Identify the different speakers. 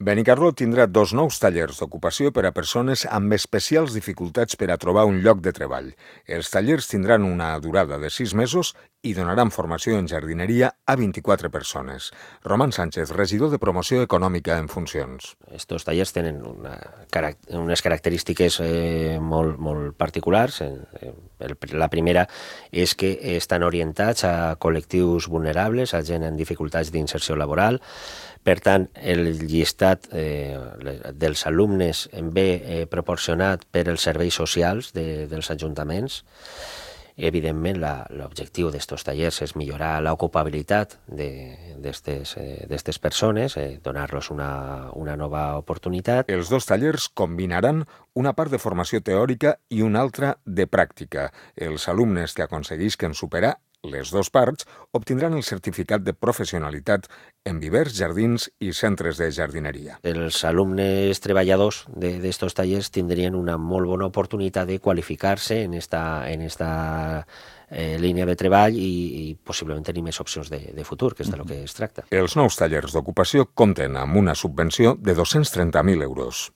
Speaker 1: Benicarló tindrà 2 nous tallers d'ocupació per a persones amb especials dificultats per a trobar un lloc de treball. Els tallers tindran una durada de 6 mesos i donaran formació en jardineria a 24 persones. Roman Sánchez, regidor de Promoció Econòmica en funcions.
Speaker 2: Estos tallers tenen unes característiques molt particulars. La primera és que estan orientats a col·lectius vulnerables, a gent en dificultats d'inserció laboral. Per tant, el llistat dels alumnes ve proporcionat per els serveis socials dels ajuntaments. Evidentment, l'objectiu d'aquests tallers és millorar l'ocupabilitat d'aquestes persones, donar-los una nova oportunitat.
Speaker 1: Els 2 tallers combinaran una part de formació teòrica i una altra de pràctica. Els alumnes que aconseguisquen superar les 2 parts obtindran el certificat de professionalitat en vivers, jardins i centres de jardineria.
Speaker 2: Els alumnes treballadors d'aquests tallers tindrien una molt bona oportunitat de qualificar-se en esta línia de treball i possiblement tenir més opcions de futur, que és del que es tracta.
Speaker 1: Els nous tallers d'ocupació compten amb una subvenció de 230.000 euros.